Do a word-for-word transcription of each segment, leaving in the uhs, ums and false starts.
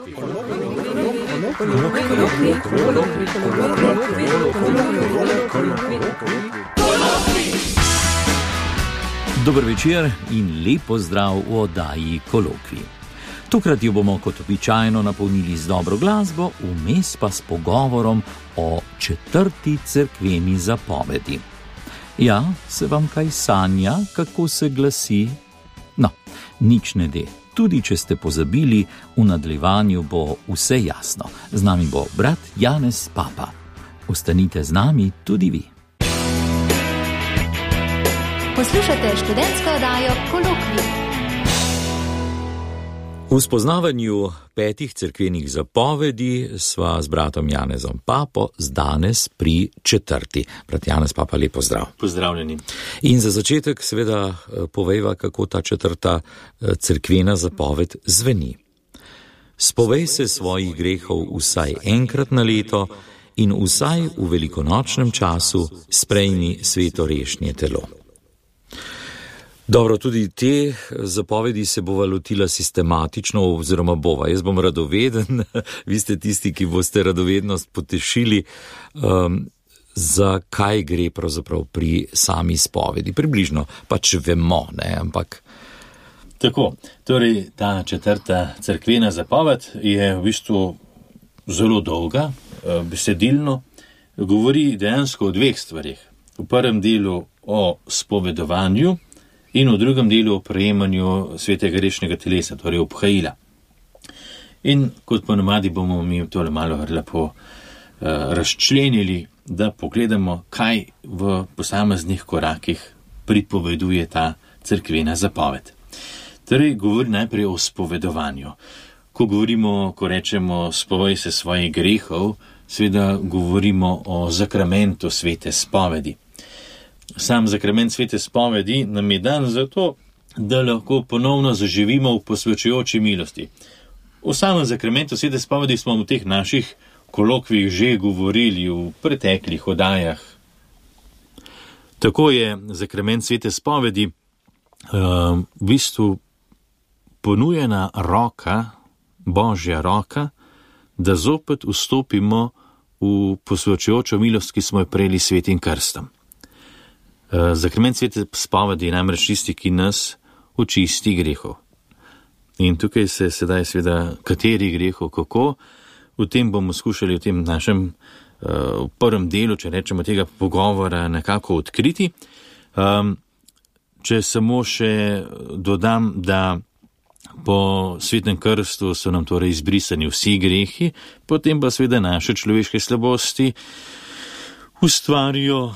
Dober večer in lep pozdrav v oddaji Kolokvij. Tokrat jo bomo kot običajno napolnili z dobro glasbo, vmes pa s pogovorom o četrti cerkveni zapovedi. Ja, se vam kaj sanja, kako se glasi? No, nič ne de. Tudi če ste pozabili, v nadaljevanju bo vse jasno. Z nami bo brat Janez Papa. Ostanite z nami tudi vi. Poslušate študentsko oddajo Kolokvij. V spoznavanju petih cerkvenih zapovedi sva z bratom Janezom Papo z danes pri četrti. Brat Janez Papa, lep pozdrav. Pozdravljeni. In za začetek seveda povejva, kako ta četrta cerkvena zapoved zveni. Spovej se svojih grehov vsaj enkrat na leto in vsaj v velikonočnem času sprejmi svetorešnje telo. Dobro, tudi te zapovedi se bova lotila sistematično oziroma bova. Jaz bom radoveden, vi ste tisti, ki boste radovednost potešili, um, za kaj gre pravzaprav pri sami spovedi. Približno pač vemo, ne, ampak... Tako, torej ta četrta cerkvena zapoved je v bistvu zelo dolga, besedilno, govori dejansko o dveh stvarih. V prvem delu o spovedovanju in v drugem delu o prejemanju svetega grešnega telesa, torej obhajila. In kot ponavadi bomo mi tole malo lepo uh, razčlenili, da pogledamo, kaj v posameznih korakih pripoveduje ta cerkvena zapoved. Torej, govori najprej o spovedovanju. Ko govorimo, ko rečemo spovej se svojih grehov, seveda govorimo o zakramentu svete spovedi. Sam zakrament svete spovedi nam je dan zato, da lahko ponovno zaživimo v posvečujoči milosti. O samem zakramentu svete spovedi smo v teh naših kolokvijih že govorili v preteklih oddajah. Tako je zakrament svete spovedi uh, v bistvu ponujena roka, Božja roka, da zopet vstopimo v posvečujočo milost, ki smo jo prejeli s svetim krstom. Zakrament svete spovedi je namreč tisti, ki nas očisti grehov. In tukaj se sedaj seveda kateri grehov, kako, v tem bomo skušali v tem našem uh, prvem delu, če rečemo tega pogovora, nekako odkriti. Um, če samo še dodam, da po svetem krstu so nam torej izbrisani vsi grehi, potem pa seveda naše človeške slabosti ustvarijo uh,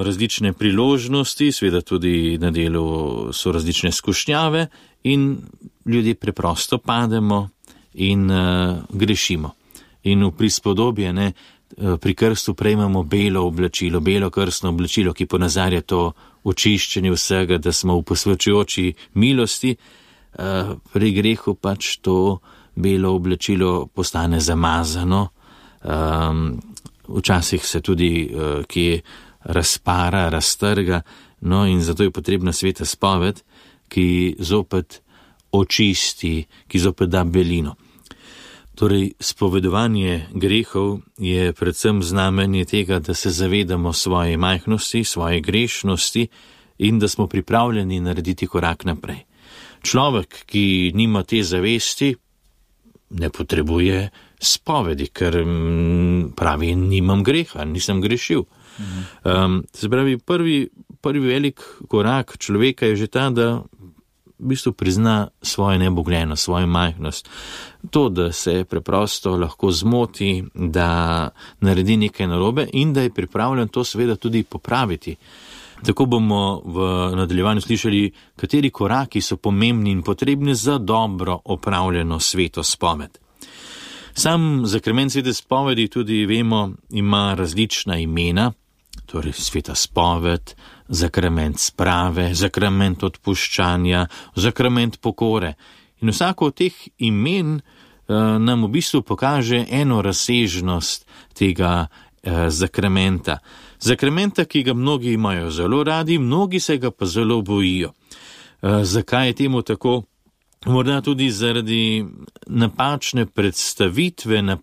različne priložnosti, seveda tudi na delu so različne skušnjave in ljudje preprosto pademo in uh, grešimo. In v prispodobje, ne, pri krstu prejmemo belo oblačilo, belo krstno oblačilo, ki ponazarja to očiščenje vsega, da smo v posvečujoči milosti, uh, pri grehu pač to belo oblačilo postane zamazano, um, včasih se tudi uh, kje razpara, raztrga, no in zato je potrebna sveta spoved, ki zopet očisti, ki zopet da belino. Torej, spovedovanje grehov je predvsem znamenje tega, da se zavedamo svoje majhnosti, svoje grešnosti in da smo pripravljeni narediti korak naprej. Človek, ki nima te zavesti, ne potrebuje spovedi, ker pravi, nimam greha, nisem grešil. Mhm. Um, se pravi, prvi, prvi velik korak človeka je že ta, da v bistvu prizna svojo nebogljeno, svojo majhnost. To, da se preprosto lahko zmoti, da naredi nekaj narobe in da je pripravljen to seveda tudi popraviti. Tako bomo v nadaljevanju slišali, kateri koraki so pomembni in potrebni za dobro opravljeno sveto spoved. Sam zakrament svete spovedi tudi vemo, ima različna imena, torej sveta spoved, zakrament sprave, zakrament odpuščanja, zakrament pokore. In vsako od teh imen uh, nam v bistvu pokaže eno razsežnost tega uh, zakramenta. Zakramenta, ki ga mnogi imajo zelo radi, mnogi se ga pa zelo bojijo. Uh, zakaj je temu tako? morda tudi zaradi napačne predstavitve, na,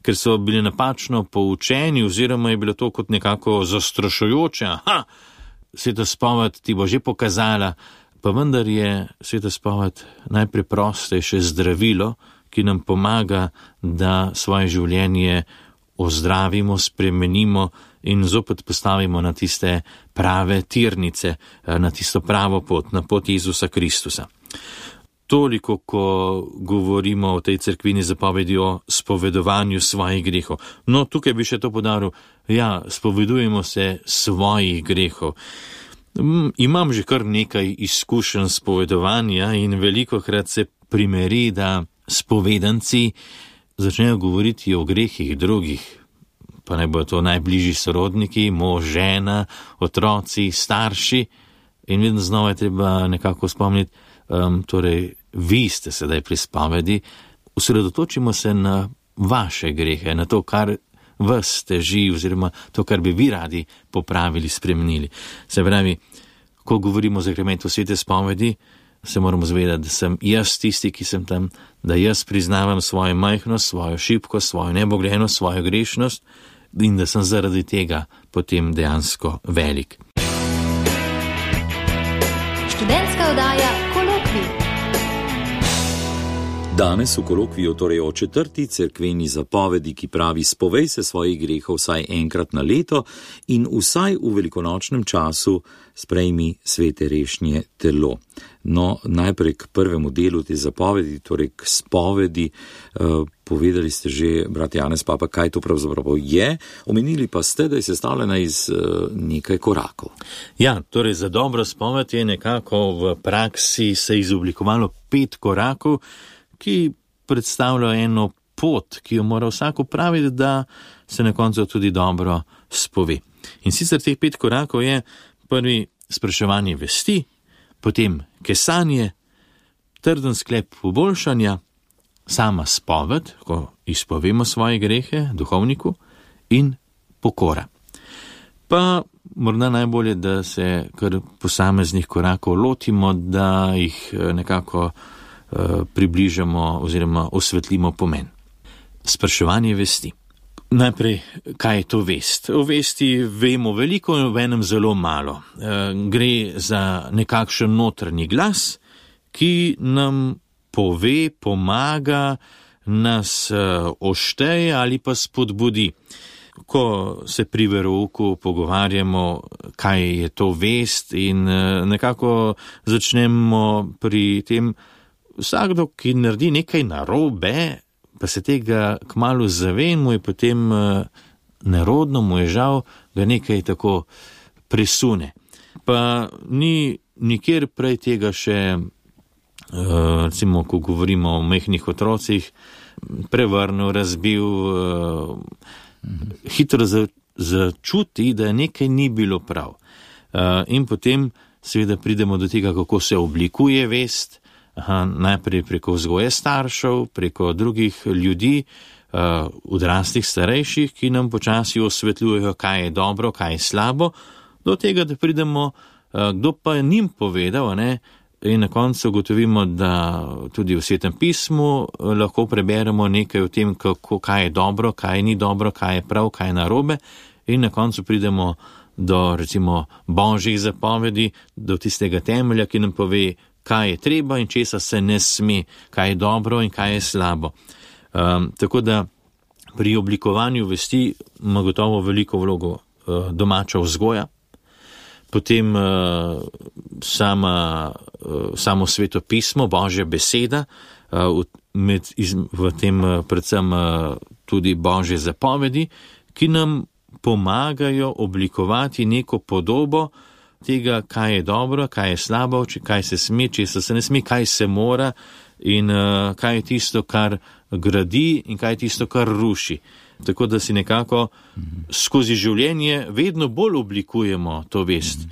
ker so bili napačno poučeni, oziroma je bilo to kot nekako zastrašujoče. Aha, sveta spoved ti bo že pokazala, pa vendar je sveta spoved najpreprostejše zdravilo, ki nam pomaga, da svoje življenje ozdravimo, spremenimo in zopet postavimo na tiste prave tirnice, na tisto pravo pot, na pot Jezusa Kristusa. Toliko, ko govorimo o tej cerkvini zapovedi o spovedovanju svojih grehov. No, tukaj bi še to podaril, ja, spovedujemo se svojih grehov. Imam že kar nekaj izkušenj spovedovanja in velikokrat se primeri, da spovedanci začnejo govoriti o grehih drugih, pa naj bodo to najbližji sorodniki, mož, žena, otroci, starši, in vedno znova je treba nekako spomniti, um, torej, vi ste sedaj pri spovedi, osredotočimo se na vaše grehe, na to, kar vas teži, oziroma to, kar bi vi radi popravili, spremenili. Se pravi, ko govorimo o zakramentu svete spovedi, se moramo zavedati, da sem jaz tisti, ki sem tam, da jaz priznavam svojo majhnost, svojo šibkost, svojo neboglenost, svojo grešnost in da sem zaradi tega potem dejansko velik. Študentska oddaja Kolokvij. Danes v kolokviju torej o četrti cerkveni zapovedi, ki pravi: spovej se svojih grehov vsaj enkrat na leto in vsaj v velikonočnem času sprejmi svete rešnje telo. No, najprej k prvemu delu te zapovedi, torej k spovedi. Uh, povedali ste že, brat Janez Papa, kaj to pravzaprav je, omenili pa ste, da je sestavljena iz uh, nekaj korakov. Ja, torej za dobro spoved je nekako v praksi se izoblikovalo pet korakov, ki predstavljajo eno pot, ki jo mora vsak opraviti, da se na koncu tudi dobro spove. In sicer teh pet korakov je: prvi spraševanje vesti, potem kesanje, trden sklep poboljšanja, sama spoved, ko izpovemo svoje grehe duhovniku, in pokora. Pa morda najbolje, da se kar posameznih korakov lotimo, da jih nekako približamo oziroma osvetlimo pomen. Spraševanje vesti. Najprej, kaj je to vest? O vesti vemo veliko in v enem zelo malo. Gre za nekakšen notranji glas, ki nam pove, pomaga, nas ošteje ali pa spodbudi. Ko se pri verouku pogovarjamo, kaj je to vest, in nekako začnemo pri tem, vsakdo, ki naredi nekaj narobe, pa se tega kmalu zave in mu je potem uh, nerodno, mu je žal, ga nekaj tako presune. Pa ni nikjer prej tega še, uh, recimo, ko govorimo o mehkih otrocih, prevrnil, razbil, uh, mhm. hitro za, začuti, da nekaj ni bilo prav. Uh, in potem seveda pridemo do tega, kako se oblikuje vest. Aha, najprej preko vzgoje staršev, preko drugih ljudi, uh, odraslih starejših, ki nam počasi osvetljujejo, kaj je dobro, kaj je slabo, do tega, da pridemo, uh, kdo pa je njim povedal, ne? In na koncu ugotovimo, da tudi v Svetem pismu uh, lahko preberemo nekaj o tem, kako, kaj je dobro, kaj ni dobro, kaj je prav, kaj je narobe, in na koncu pridemo do, recimo, božjih zapovedi, do tistega temelja, ki nam pove, kaj je treba in česa se ne sme, kaj je dobro in kaj je slabo. Um, tako da pri oblikovanju vesti ima gotovo veliko vlogo uh, domača vzgoja, potem uh, sama, uh, samo sveto pismo, božja beseda, uh, med, iz, v tem uh, predvsem uh, tudi božje zapovedi, ki nam pomagajo oblikovati neko podobo tega, kaj je dobro, kaj je slabo, kaj se sme, česa se ne sme, kaj se mora in uh, kaj je tisto, kar gradi in kaj je tisto, kar ruši. Tako da si nekako skozi življenje vedno bolj oblikujemo to vest.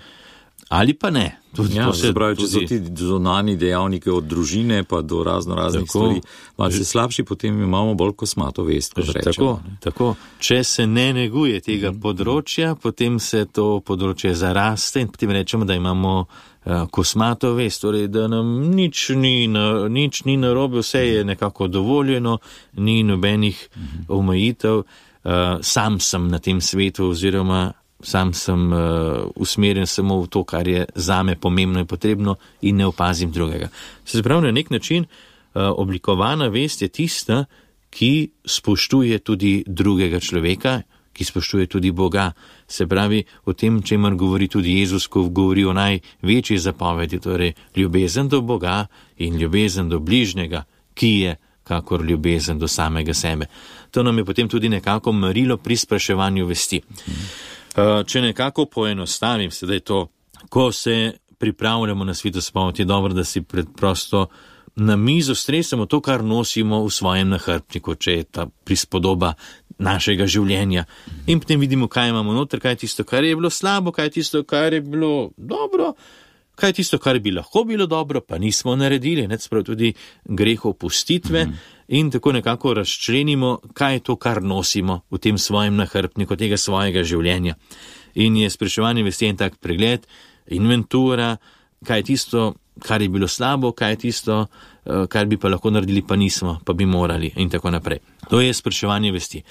ali pa ne. Tudi Ja, se, pravi, če so tudi... ti zunanji dejavniki od družine pa do razno raznih stvari, malce slabši, potem imamo bolj kosmato vest, kot rečemo. Tako, tako. Če se ne neguje tega mm-hmm. področja, potem se to področje zaraste in potem rečemo, da imamo uh, kosmato vest, torej da nam nič ni, na, nič ni narobe, vse je nekako dovoljeno, ni nobenih mm-hmm. omejitev, uh, sam sem na tem svetu oziroma sam sem uh, usmerjen samo v to, kar je zame pomembno in potrebno in ne opazim drugega. Se pravi, na nek način uh, oblikovana vest je tista, ki spoštuje tudi drugega človeka, ki spoštuje tudi Boga. Se pravi, o tem, čemer govori tudi Jezus, ko govori o največji zapovedi, torej ljubezen do Boga in ljubezen do bližnjega, ki je kakor ljubezen do samega sebe. To nam je potem tudi nekako merilo pri spraševanju vesti. Če nekako poenostavim sedaj to, ko se pripravljamo na svetospoved, je dobro, da si preprosto na mizo stresemo to, kar nosimo v svojem nahrbtniku, če je ta prispodoba našega življenja. In potem vidimo, kaj imamo noter, kaj je tisto, kar je bilo slabo, kaj je tisto, kar je bilo dobro, kaj je tisto, kar bi lahko bilo dobro, pa nismo naredili, ne, sprav tudi greh opustitve. Mm-hmm. In tako nekako razčlenimo, kaj je to, kar nosimo v tem svojem nahrbtniku, tega svojega življenja. In je spraševanje vesti en tak pregled, inventura, kaj je tisto, kar je bilo slabo, kaj je tisto, kar bi pa lahko naredili, pa nismo, pa bi morali in tako naprej. To je spraševanje vesti.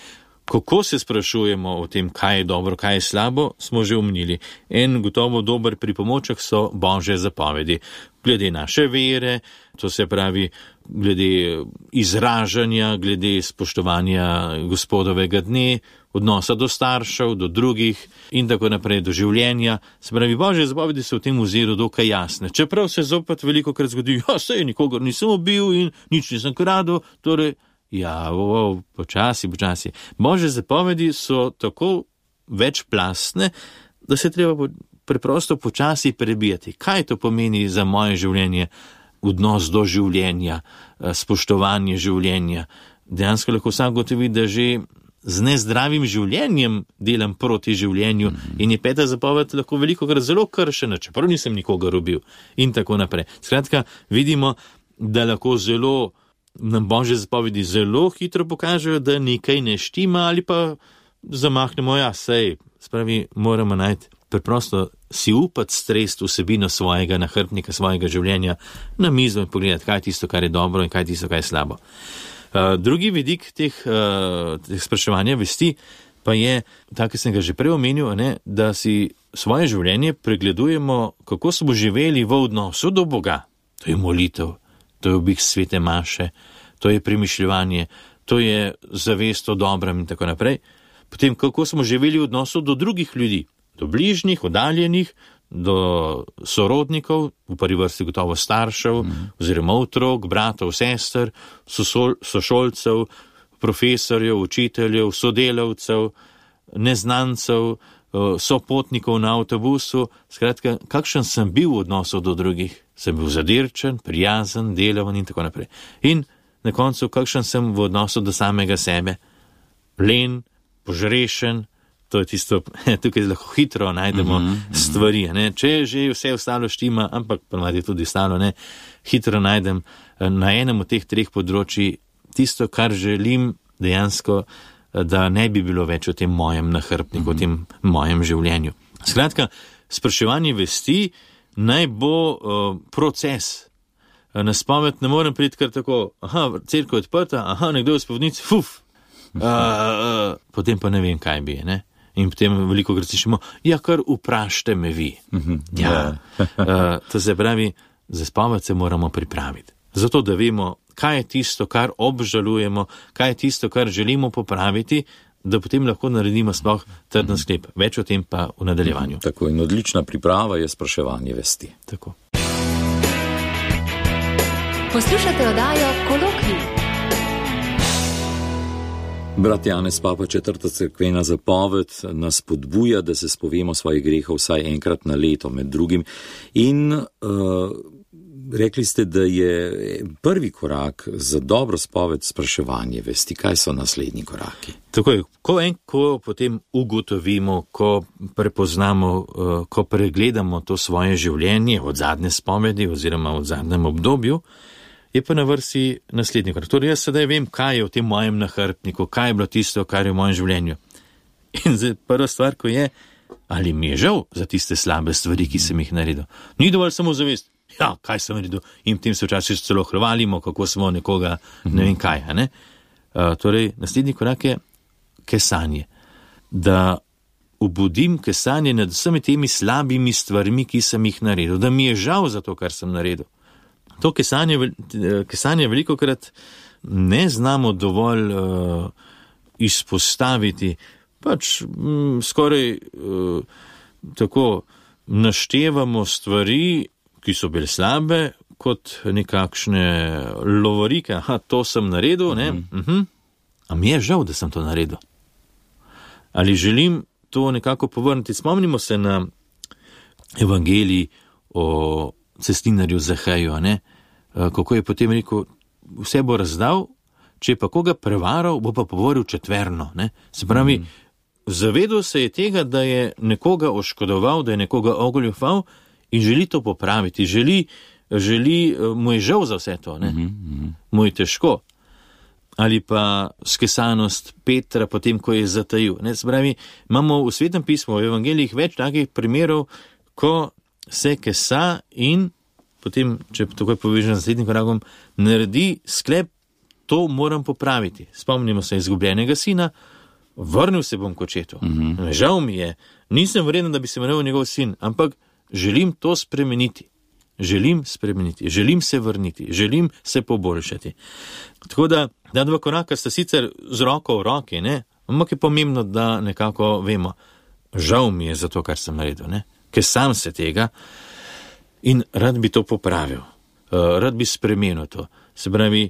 Kako se sprašujemo o tem, kaj je dobro, kaj je slabo, smo že omenili. En gotovo dober pripomoček so Božje zapovedi. Glede naše vere, to se pravi, glede izražanja, glede spoštovanja gospodovega dne, odnosa do staršev, do drugih in tako naprej, do življenja. Se pravi, Božje zapovedi so v tem oziru dokaj jasne. Čeprav se zopet veliko krat zgodi, ja, sej nikogar nisem ubil in nič nisem kradel, torej, ja, o, o, počasi, počasi. Božje zapovedi so tako večplastne, da se treba preprosto počasi prebijati. Kaj to pomeni za moje življenje, odnos do življenja, spoštovanje življenja? Dejansko lahko vsak gotovi, da že z nezdravim življenjem delam proti življenju mm-hmm. in je peta zapoved lahko veliko krat zelo kršena, čeprav nisem nikogar ubil in tako naprej. Skratka, vidimo, da lahko zelo nam Božje zapovedi zelo hitro pokažejo, da nekaj ne štima ali pa zamahnemo, ja, sej, spravi, moramo najti preprosto si upati stresti vsebino svojega nahrbtnika, svojega življenja na mizo in pogledati, kaj je tisto, kar je dobro in kaj je tisto, kar je slabo. Uh, drugi vidik teh, uh, teh spraševanja vesti pa je, tako ki sem ga že prej omenil, ne, da si svoje življenje pregledujemo, kako smo živeli v odnosu do Boga. To je molitev, to je obik svete maše, to je premišljevanje, to je zavest o dobrem in tako naprej. Potem, kako smo živeli v odnosu do drugih ljudi, do bližnjih, oddaljenih, do sorodnikov, v prvi vrsti gotovo staršev, mm. oziroma otrok, bratov, sester, sosol, sošolcev, profesorjev, učiteljev, sodelavcev, neznancev, sopotnikov na avtobusu. Skratka, kakšen sem bil v odnosu do drugih? Sem bil zadirčen, prijazen, delaven in tako naprej. In na koncu, kakšen sem v odnosu do samega sebe? Len, požrešen. To je tisto, tukaj lahko hitro najdemo mm-hmm. stvari, ne? Če že vse ostalo štima, ampak ponavadi tudi ostalo, ne, hitro najdem na enem od teh treh področji tisto, kar želim dejansko, da ne bi bilo več v tem mojem nahrbtniku, mm-hmm. v tem mojem življenju. Skratka, spraševanje vesti naj bo uh, proces. Na spoved ne morem priti kar tako, aha, cerkev je odprta, aha, nekdo je v spovednici, fuf, uh, uh, potem pa ne vem, kaj bi je, ne. In potem veliko krat slišimo, ja, kar vprašajte me vi. Mm-hmm. Ja, uh, to se pravi, za spoved se moramo pripraviti. Zato, da vemo, kaj je tisto, kar obžalujemo, kaj je tisto, kar želimo popraviti, da potem lahko naredimo sploh trden sklep. Več o tem pa v nadaljevanju. Tako, in odlična priprava je spraševanje vesti. Tako. Poslušate oddajo Kolokvij. Brat Janez Papa, četrta cerkvena zapoved nas spodbuja, da se spovemo svojih grehov vsaj enkrat na leto med drugim. In uh, rekli ste, da je prvi korak za dobro spoved spraševanje vesti. Kaj so naslednji koraki? Tako je, ko en, ko potem ugotovimo, ko prepoznamo, ko pregledamo to svoje življenje od zadnje spovedi oziroma od zadnjem obdobju, je pa na vrsti naslednji korak. Torej, jaz sedaj vem, kaj je v tem mojem nahrbtniku, kaj je bilo tisto, kar je v mojem življenju. In zdaj prva stvar, ko je, ali mi je žal za tiste slabe stvari, ki sem jih naredil. Ni dovolj samo zavest, ja, kaj sem naredil, in tem se včasih celo hvalimo, kako smo nekoga, ne vem kaj, a ne? Uh, torej, naslednji korak je kesanje. Da obudim kesanje nad vsemi temi slabimi stvarmi, ki sem jih naredil, da mi je žal za to, kar sem naredil. To kesanje, kesanje velikokrat ne znamo dovolj uh, izpostaviti, pač m, skoraj uh, tako naštevamo stvari, ki so bile slabe, kot nekakšne lovorike, aha, to sem naredil, ne, uh-huh. Uh-huh. A mi je žal, da sem to naredil. Ali želim to nekako povrniti? Spomnimo se na evangelij o cestinarju Zaheju, ne, kako je potem rekel, vse bo razdal, če pa koga prevaral, bo pa povoril četverno, ne. Se pravi, uh-huh. Zavedal se je tega, da je nekoga oškodoval, da je nekoga ogoljufal in želi to popraviti, želi, želi, mu je žal za vse to, ne? Mm-hmm. Mu je težko. Ali pa skesanost Petra potem, ko je zatajil. Ne? Se pravi, imamo v Svetem pismu, v evangelijih več takih primerov, ko se kesa in potem, če takoj povežem z naslednjim korakom, naredi sklep, to moram popraviti. Spomnimo se izgubljenega sina, vrnil se bom k očetu. Mm-hmm. Žal mi je, nisem vreden, da bi se imenoval njegov sin, ampak želim to spremeniti. Želim spremeniti, želim se vrniti, želim se poboljšati. Tako da, da dva koraka sta sicer z roko v roki, ne? Ampak je pomembno, da nekako vemo, žal mi je za to, kar sem naredil, ne? Ker sam se tega in rad bi to popravil, uh, rad bi spremenil to. Se pravi,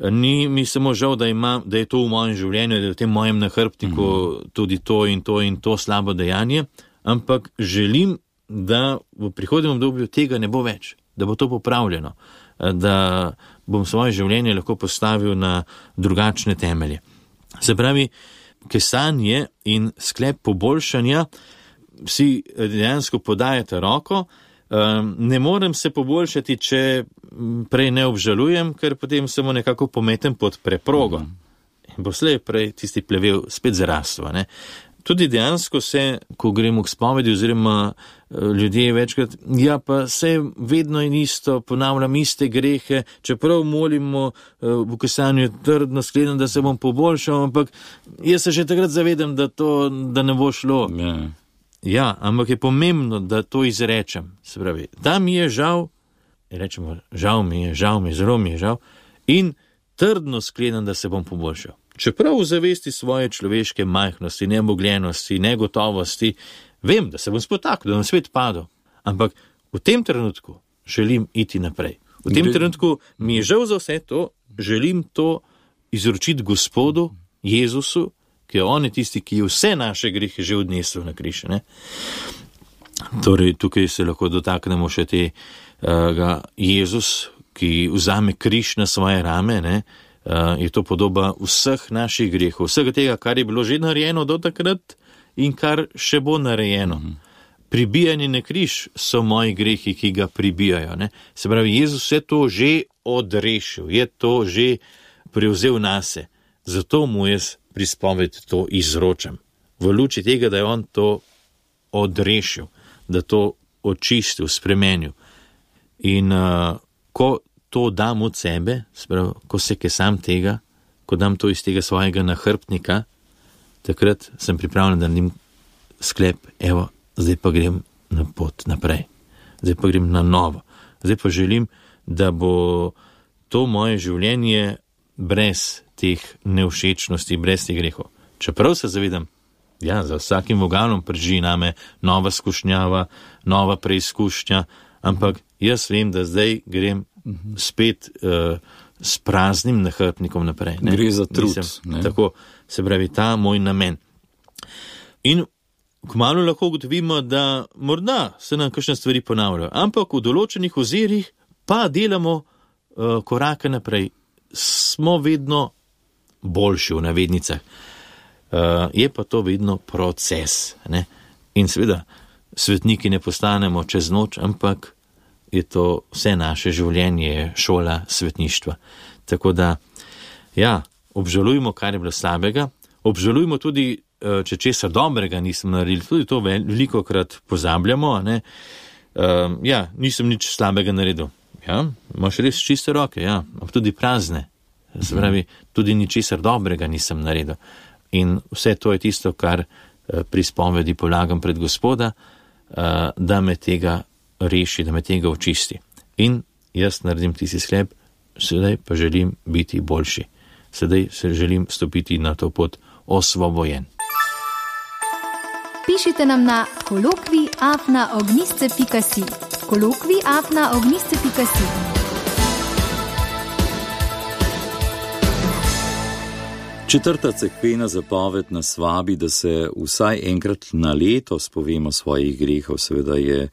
ni mi samo žal, da, ima, da je to v mojem življenju, da je v tem mojem nahrbtniku mm-hmm. tudi to in to in to slabo dejanje, ampak želim, da v prihodnjem obdobju tega ne bo več, da bo to popravljeno, da bom svoje življenje lahko postavil na drugačne temelje. Se pravi, kesanje in sklep poboljšanja vsi dejansko podajate roko. Ne morem se poboljšati, če prej ne obžalujem, ker potem samo nekako pometem pod preprogo. In bo slej prej tisti plevel spet zarastvo, ne. Tudi dejansko se, ko gremo k spovedi oziroma ljudje večkrat, ja pa se vedno in isto, ponavljam iste grehe, čeprav molimo v kesanju trdno sklenam, da se bom poboljšal, ampak jaz se že takrat zavedam, da to, da ne bo šlo. Yeah. Ja, ampak je pomembno, da to izrečem. Se pravi, da mi je žal, rečemo, žal mi je, žal mi je, zelo mi je žal, in trdno sklenam, da se bom poboljšal. Čeprav v zavesti svoje človeške majhnosti, nemogljenosti, negotovosti, vem, da se bom spotaknil, da bom svet padel, ampak v tem trenutku želim iti naprej. V tem trenutku mi je žal za vse to, želim to izročiti Gospodu, Jezusu, ki je on je tisti, ki je vse naše grehe že odnesel na križ, ne. Torej, tukaj se lahko dotaknemo še tega Jezus, ki vzame križ na svoje rame, ne. Uh, je to podoba vseh naših grehov, vsega tega, kar je bilo že narejeno do takrat in kar še bo narejeno. Mm-hmm. Pribijanje na križ so moji grehi, ki ga pribijajo. Ne? Se pravi, Jezus je to že odrešil, je to že prevzel nase. Zato mu jaz pri spovedi to izročam. V luči tega, da je on to odrešil, da to očistil, spremenil. In uh, ko to dam od sebe, sprav, ko se kesam tega, ko dam to iz tega svojega nahrbtnika, takrat sem pripravljen, da naredim sklep, evo, zdaj pa grem na pot naprej, zdaj pa grem na novo, zdaj pa želim, da bo to moje življenje brez teh nevšečnosti, brez teh grehov. Čeprav se zavedam, ja, za vsakim vogalom prži name nova skušnjava, nova preizkušnja, ampak jaz vem, da zdaj grem spet uh, s praznim nahrbtnikom naprej. Ne? Gre za trud. Nisem, tako, se pravi, ta moj namen. In kmalu lahko ugotovimo, da morda se nam kakšne stvari ponavljajo, ampak v določenih ozirih pa delamo uh, korake naprej. Smo vedno boljši v navednicah. Uh, je pa to vedno proces. Ne? In seveda, svetniki ne postanemo čez noč, ampak je to vse naše življenje, šola svetništva. Tako da, ja, obžalujmo, kar je bilo slabega, obžalujmo tudi, če česar dobrega nisem naredili, tudi to veliko krat pozabljamo, ne? Uh, ja, nisem nič slabega naredil. Ja, imaš res čiste roke, ja, ampak tudi prazne. Se pravi, tudi ničesar dobrega nisem naredil. In vse to je tisto, kar pri spovedi polagam pred Gospoda, da me tega reši, da me tega očisti. In jaz naredim tisti sklep, sedaj pa želim biti boljši. Sedaj se želim stopiti na to pot osvobojen. Pišite nam na kolokvij afna ognjišče pika si. kolokvij afna ognjišče pika si. Četrta cerkvena zapoved nas vabi, da se vsaj enkrat na leto spovemo svojih grehov. Seveda je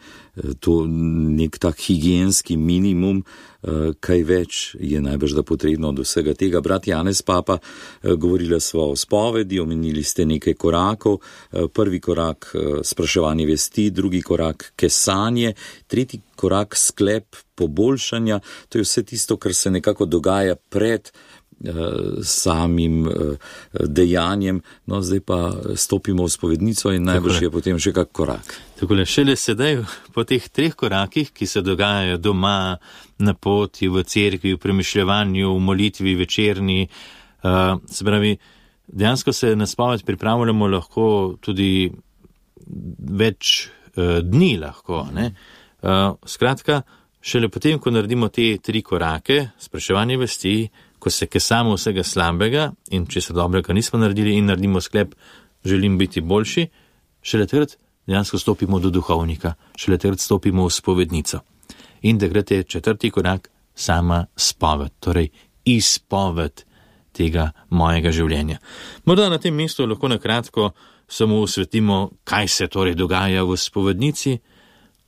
to nek tak higienski minimum, kaj več je najbrž da potrebno od vsega tega. Brat Janez Papa, govorila sva o spovedi, omenili ste nekaj korakov. Prvi korak spraševanje vesti, drugi korak kesanje, tretji korak sklep poboljšanja. To je vse tisto, kar se nekako dogaja pred samim dejanjem, no zdaj pa stopimo v spovednico in najbrž je potem še kak korak. Takole, šele sedaj po teh treh korakih, ki se dogajajo doma, na poti, v cerkvi, v premišljevanju, v molitvi, večerni, uh, se pravi, dejansko se na spoved pripravljamo lahko tudi več uh, dni lahko, ne? Uh, skratka, šele potem, ko naredimo te tri korake, spraševanje vesti, ko se kesamo vsega slabega in če se dobrega nismo naredili in naredimo sklep, želim biti boljši, šele takrat dejansko stopimo do duhovnika, šele takrat stopimo v spovednico. In takrat je četrti korak sama spoved, torej izpoved tega mojega življenja. Morda na tem mestu lahko na kratko samo osvetlimo, kaj se torej dogaja v spovednici,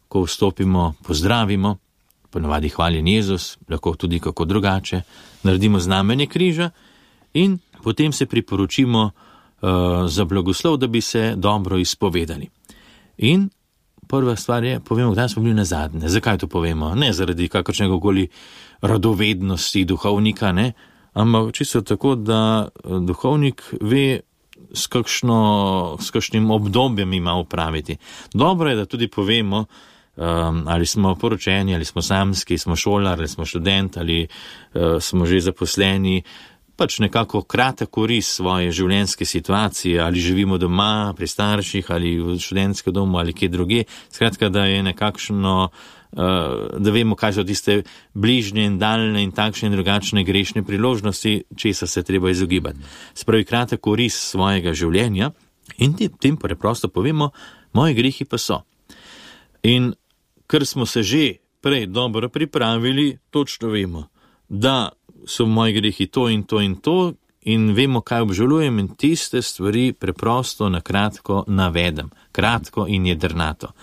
ko vstopimo, pozdravimo, ponavadi hvaljen Jezus, lahko tudi kako drugače, naredimo znamenje križa in potem se priporočimo uh, za blagoslov, da bi se dobro izpovedali. In prva stvar je, povemo, kdaj smo bili nazadnje. Zakaj to povemo? Ne zaradi kakršnega koli radovednosti duhovnika, ne, ampak čisto tako, da duhovnik ve, s, kakšno, s kakšnim obdobjem ima upraviti. Dobro je, da tudi povemo, Um, ali smo poročeni, ali smo samski, smo šolar, ali smo študent, ali uh, smo že zaposleni, pač nekako kratek oris svoje življenjske situacije, ali živimo doma, pri starših, ali v študentskem domu, ali kje druge. Skratka, da je nekakšno, uh, da vemo, kaj so tiste bližnje in daljne in takšne in drugačne grešne priložnosti, česa se treba izogibati. Spravi kratek oris svojega življenja in tem preprosto povemo, moji grehi pa so. In ker smo se že prej dobro pripravili, točno vemo, da so moji grehi to in to in to in vemo, kaj obžalujem in tiste stvari preprosto na kratko navedem, kratko in jedrnato.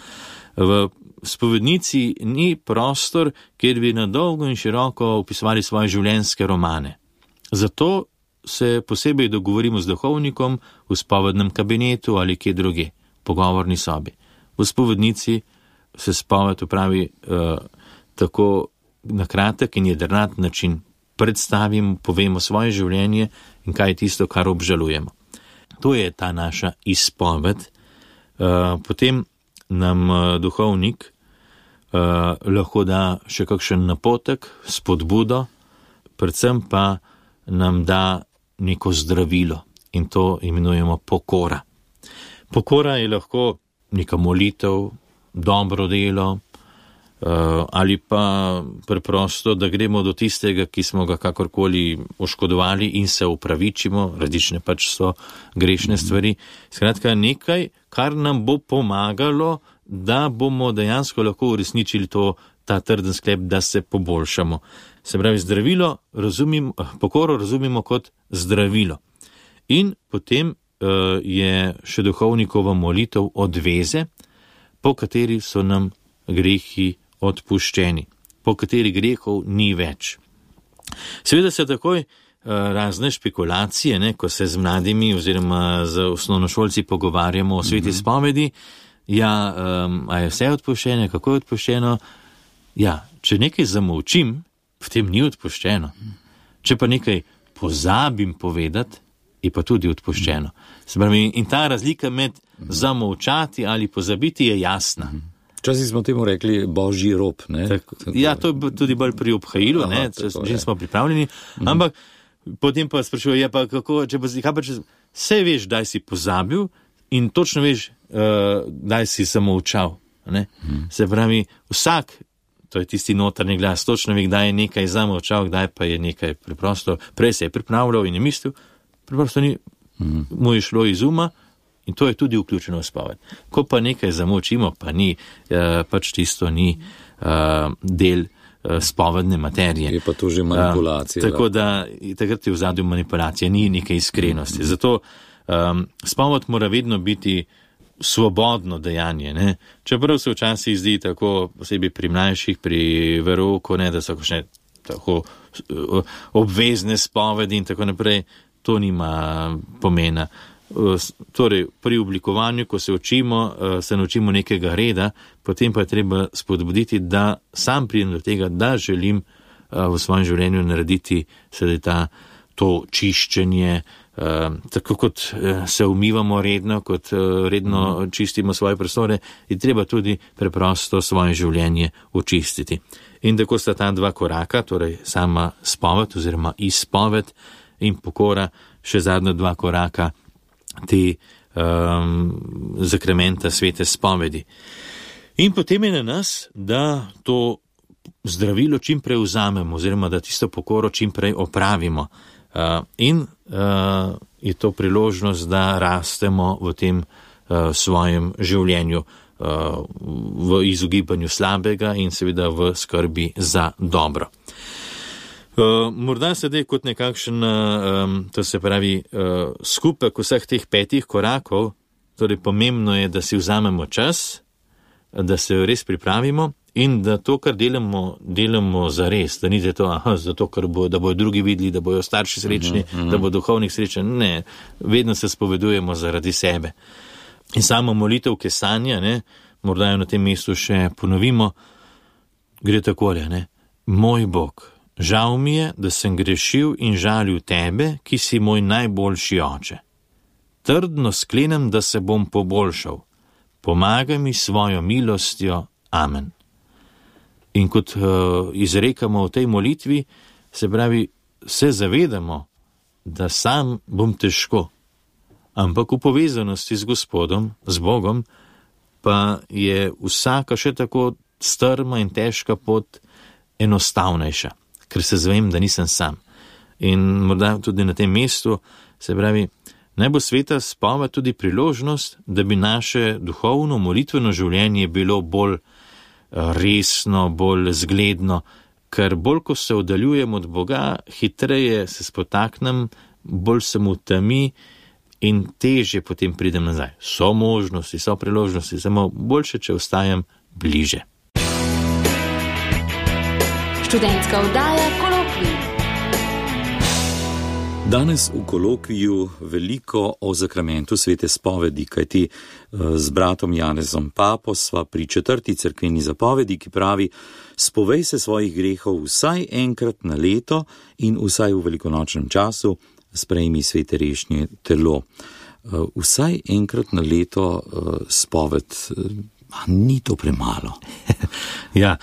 V spovednici ni prostor, kjer bi na dolgo in široko opisovali svoje življenjske romane. Zato se posebej dogovorimo z duhovnikom v spovednem kabinetu ali kje druge, pogovorni sobi. V spovednici se spoved upravi uh, tako na kratek in jedrnat način. Predstavimo, povemo svoje življenje in kaj je tisto, kar obžalujemo. To je ta naša izpoved. Uh, potem nam uh, duhovnik uh, lahko da še kakšen napotek, spodbudo, predvsem pa nam da neko zdravilo in to imenujemo pokora. Pokora je lahko neka molitev, dobro delo, uh, ali pa preprosto, da gremo do tistega, ki smo ga kakorkoli oškodovali in se upravičimo, različne pač so grešne stvari. Skratka, nekaj, kar nam bo pomagalo, da bomo dejansko lahko uresničili to, ta trden sklep, da se poboljšamo. Se pravi, zdravilo razumimo, pokoro razumimo kot zdravilo. In potem uh, je še duhovnikova molitev odveze, po kateri so nam grehi odpuščeni. po kateri grehov ni več. Seveda se takoj razne špekulacije, ne, ko se z mladimi oziroma z osnovnošolci pogovarjamo o sveti spovedi, ja, um, a je vse odpuščeno, kako je odpuščeno? Ja, če nekaj zamolčim, v tem ni odpuščeno. Če pa nekaj pozabim povedati, je pa tudi odpuščeno. Se pravi, in ta razlika med zamolčati ali pozabiti je jasna. Včasih smo temu rekli božji rob, ne? Tak, ja, to je tudi bolj pri obhajilu, ne, že smo pripravljeni, mm. ampak potem pa sprašuje, ja pa kako, če pa, kaj pa če, vse veš, daj si pozabil in točno veš, uh, daj si zamolčal, ne? Mm. Se pravi, vsak, to je tisti notrni glas, točno ve, kdaj je nekaj zamolčal, kdaj pa je nekaj preprosto, prej se je pripravljal in je mislil, preprosto ni, mm. mu je šlo iz uma. In to je tudi vključeno v spoved. Ko pa nekaj zamolčimo, pa ni, eh, pač tisto ni eh, del eh, spovedne materije. Je pa to že manipulacija. Eh, tako da, takrat je v zadju manipulacija, ni neke iskrenosti. Zato eh, spoved mora vedno biti svobodno dejanje. Ne? Čeprav se včasih zdi tako, posebej pri mlajših, pri verouku, ne, da so kakšne tako obvezne spovedi in tako naprej, to nima pomena. Torej, pri oblikovanju, ko se učimo, se naučimo nekega reda, potem pa je treba spodbuditi, da sam pridem do tega, da želim v svojem življenju narediti sedaj ta, to čiščenje, tako kot se umivamo redno, kot redno čistimo svoje prostore, je treba tudi preprosto svoje življenje očistiti. In tako sta ta dva koraka, torej sama spoved oziroma izpoved in pokora, še zadnja dva koraka, te um, zakramenta svete spovedi. In potem je na nas, da to zdravilo čim prej vzamemo, oziroma da tisto pokoro čim prej opravimo. Uh, in uh, je to priložnost, da rastemo v tem uh, svojem življenju, uh, v izogibanju slabega in seveda v skrbi za dobro. Uh, morda sedaj kot nekakšen, um, to se pravi, uh, skupek vseh teh petih korakov, torej pomembno je, da si vzamemo čas, da se res pripravimo in da to, kar delamo, delamo za res, da ni za to, aha, zato, ker bo, da bojo drugi videli, da bojo starši srečni, uh-huh, uh-huh. da bo duhovnik srečen. Ne, vedno se spovedujemo zaradi sebe. In samo molitev kesanja, ne, morda jo na tem mestu še ponovimo, gre takole, ne, moj Bog, žal mi je, da sem grešil in žalil tebe, ki si moj najboljši oče. Trdno sklenem, da se bom poboljšal. Pomagaj mi svojo milostjo. Amen. In kot uh, izrekamo v tej molitvi, se pravi, se zavedamo, da sam bom težko, ampak v povezanosti z Gospodom, z Bogom, pa je vsaka še tako strma in težka pot enostavnejša. Ker se zvem, da nisem sam. In morda tudi na tem mestu, se pravi, naj bo sveta spoved tudi priložnost, da bi naše duhovno, molitveno življenje bilo bolj resno, bolj zgledno, ker bolj, ko se oddaljujemo od Boga, hitreje se spotaknem, bolj sem v temi in težje potem pridem nazaj. So možnosti, so priložnosti, samo boljše, če ostajam bliže. Študentska oddaja Kolokvij. Danes v kolokviju veliko o zakramentu svete spovedi, kajti z bratom Janezom Papo sva pri četrti cerkveni zapovedi, ki pravi: spovej se svojih grehov vsaj enkrat na leto in vsaj v velikonočnem času sprejmi svete rešnje telo. Vsaj enkrat na leto spoved, ni to premalo. Ja.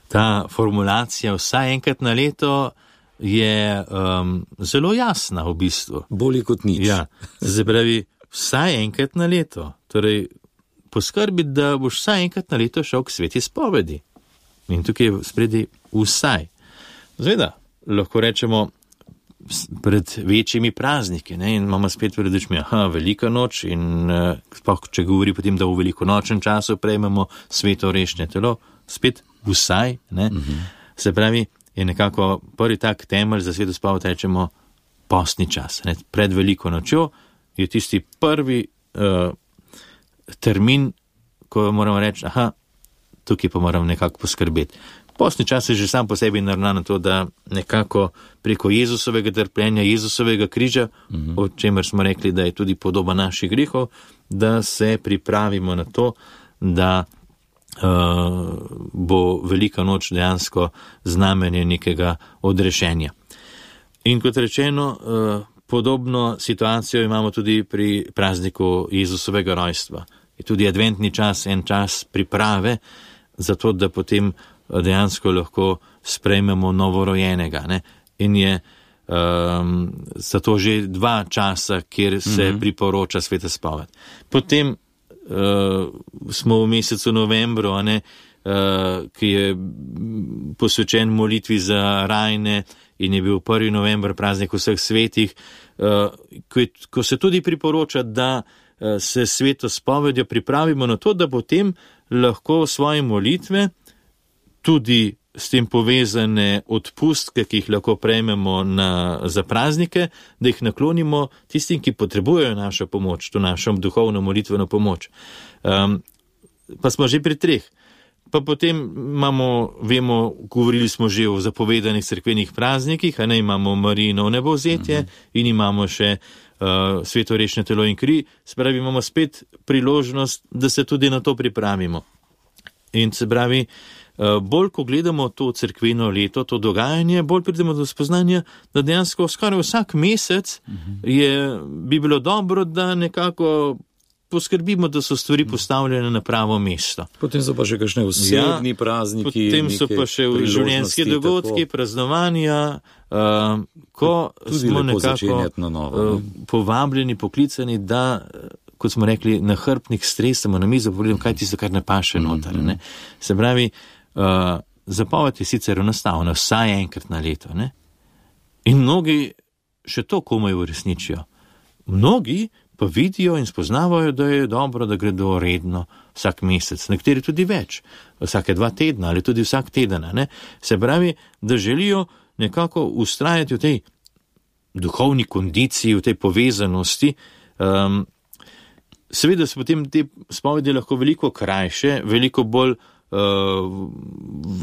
Ta formulacija vsaj enkrat na leto je um, zelo jasna v bistvu. Bolje kot nič. Ja, se pravi, vsaj enkrat na leto. Torej, poskrbi, da boš vsaj enkrat na leto šel k sveti spovedi. In tukaj je spredi vsaj. Zveda, lahko rečemo pred večjimi prazniki, ne, in imamo spet pred očmi, aha, velika noč in uh, če govori potem, da v velikonočnem času prejmemo sveto rešnje telo, spet vsaj, ne, uh-huh. Se pravi, je nekako prvi tak temelj za sveto spoved, rečemo postni čas. Ne. Pred veliko nočjo je tisti prvi uh, termin, ko moramo reči, aha, tukaj pa moram nekako poskrbeti. Postni čas je že sam po sebi naravnan na to, da nekako preko Jezusovega trpljenja, Jezusovega križa, uh-huh. o čemer smo rekli, da je tudi podoba naših grehov, da se pripravimo na to, da uh, bo velika noč dejansko znamenje nekega odrešenja. In kot rečeno, uh, podobno situacijo imamo tudi pri prazniku Jezusovega rojstva. Je tudi adventni čas, en čas priprave, zato da potem dejansko lahko sprejmemo novorojenega. Ne? In je um, zato že dva časa, kjer se mm-hmm. priporoča sveta spoved. Potem uh, smo v mesecu novembru, a ne, uh, ki je posvečen molitvi za rajne in je bil prvi november praznik vseh svetih, uh, ko, ko se tudi priporoča, da uh, se sveto spovedjo pripravimo na to, da potem lahko svoje molitve, tudi s tem povezane odpustke, ki jih lahko prejmemo na, za praznike, da jih naklonimo tistim, ki potrebujejo našo pomoč, to našo duhovno molitveno pomoč. Um, pa smo že pri treh. Pa potem imamo, vemo, govorili smo že o zapovedanih cerkvenih praznikih, a ne imamo Marijino nebovzetje uh-huh. in imamo še uh, svetorešne telo in kri, se pravi, imamo spet priložnost, da se tudi na to pripravimo. In se pravi, uh, bolj ko gledamo to cerkveno leto, to dogajanje, bolj pridemo do spoznanja, da dejansko skoraj vsak mesec uh-huh. je, bi bilo dobro, da nekako poskrbimo, da so stvari postavljene na pravo mesto. Potem so pa še kakšne osebni ja, prazniki. Potem so pa še življenjski dogodki, tako. Praznovanja, uh, ko tudi smo nekako na novo, ne? uh, povabljeni, poklicani, da, kot smo rekli, na hrbtnik stresamo na mizo, pogledamo, kaj tisto, kar ne paše noter. Mm-hmm. Ne? Se pravi, uh, zapoved je sicer enostavna, vsaj enkrat na leto. Ne? In mnogi še to komaj uresničijo. Mnogi pa vidijo in spoznavajo, da je dobro, da gredo redno vsak mesec, nekateri tudi več, vsake dva tedna ali tudi vsak teden. Ne? Se pravi, da želijo nekako ustrajati v tej duhovni kondiciji, v tej povezanosti. Um, seveda so potem te spovedi lahko veliko krajše, veliko bolj uh,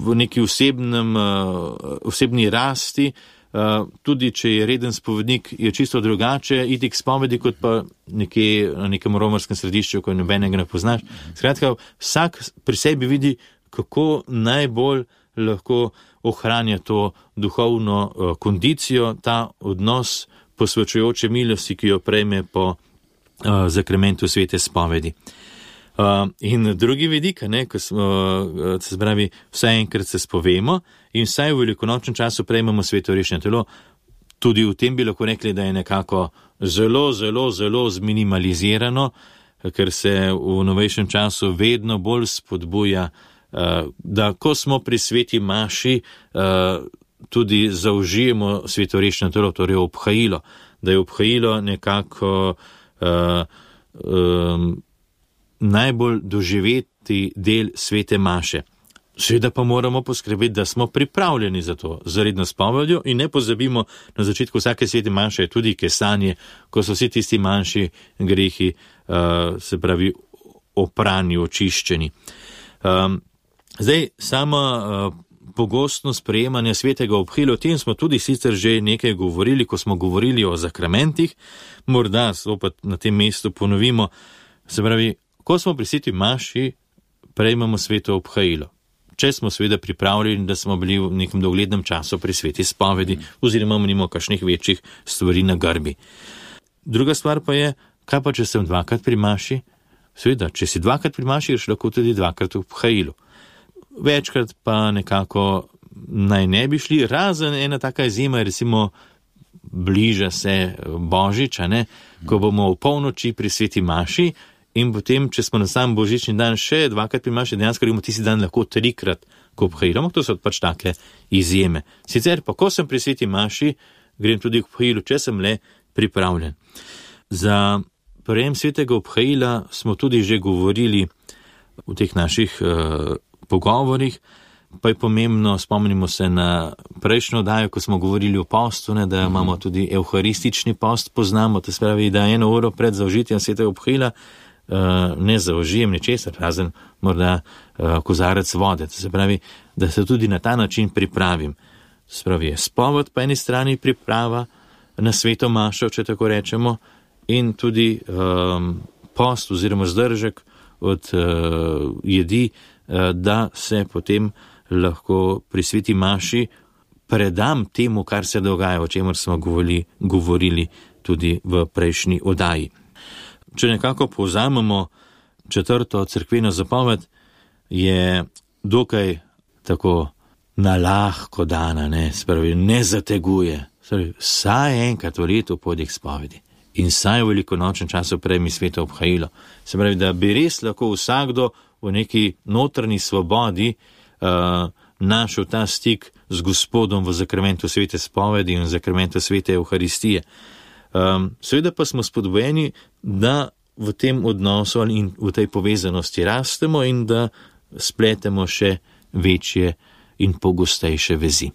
v neki osebnem, uh, osebni rasti. Uh, tudi če je reden spovednik, je čisto drugače iti k spovedi, kot pa nekje na nekem romarskem središču, ko nobenega ne poznaš. Skratka, vsak pri sebi vidi, kako najbolj lahko ohranja to duhovno uh, kondicijo, ta odnos posvečujoče milosti, ki jo prejme po uh, zakramentu svete spovedi. Uh, in drugi vidik, ne, ko smo, uh, se pravi, vsaj enkrat se spovemo in vsaj v velikonočnem času prejmemo svetorešne telo, tudi v tem bi lahko rekli, da je nekako zelo, zelo, zelo zminimalizirano, ker se v novejšem času vedno bolj spodbuja, uh, da ko smo pri sveti maši, uh, tudi zaužijemo svetorešne telo, torej obhajilo, da je obhajilo nekako uh, um, najbolj doživeti del svete maše. Seveda pa moramo poskrbeti, da smo pripravljeni za to, za redno spovedjo in ne pozabimo, na začetku vsake svete maše je tudi kesanje, ko so vsi tisti manjši grehi, uh, se pravi, oprani, očiščeni. Um, zdaj, sama uh, pogostnost sprejemanja svetega obhila, o tem smo tudi sicer že nekaj govorili, ko smo govorili o zakramentih, morda opet na tem mestu ponovimo, se pravi, ko smo pri sveti maši, prejmemo sveto obhajilo. Če smo seveda pripravljeni, da smo bili v nekem dolglednem času pri sveti spovedi, oziroma imamo kakšnih večjih stvari na grbi. Druga stvar pa je, kaj pa če sem dvakrat pri maši? Seveda, če si dvakrat pri maši, ješ lahko tudi dvakrat v obhajilu. Večkrat pa nekako naj ne bi šli, razen ena taka izjema, recimo bliža se Božiča, ne, ko bomo v polnoči pri sveti maši, in potem, če smo na sam božični dan še dvakrat pri maši, dejansko imamo tisti dan lahko trikrat k obhajilu. To so pač take izjeme. Sicer pa, ko sem pri sveti maši, grem tudi k obhajilu, če sem le pripravljen. Za prejem svetega obhajila smo tudi že govorili v teh naših uh, pogovorih, pa je pomembno, spomnimo se na prejšnjo oddajo, ko smo govorili o postu, ne, da imamo tudi evharistični post, poznamo, to spravi, da eno uro pred zaužitjem svetega obhajila ne zaužijem ničesar, razen morda kozarec vode. To se pravi, da se tudi na ta način pripravim. Spravi je spoved po eni strani priprava na sveto mašo, če tako rečemo, in tudi um, post oziroma zdržek od uh, jedi, uh, da se potem lahko pri sveti maši predam temu, kar se dogaja, o čemer smo govorili, govorili tudi v prejšnji oddaji. Če nekako povzamemo četrto cerkveno zapoved, je dokaj tako nalahko dana, ne, spravi, ne zateguje. Spravi, saj enkrat v letu pojdi k spovedi in saj v velikonočnem času prejmi sveto obhajilo. Se pravi, da bi res lahko vsakdo v neki notranji svobodi uh, našel ta stik z Gospodom v zakramentu svete spovedi in v zakramentu svete Euharistije. Um, seveda pa smo spodbujeni, da v tem odnosu in v tej povezanosti rastemo in da spletemo še večje in pogostejše vezi.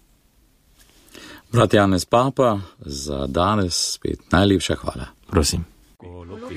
Brat Janez Papa, za danes spet najlepša hvala. Prosim. Kolokvi.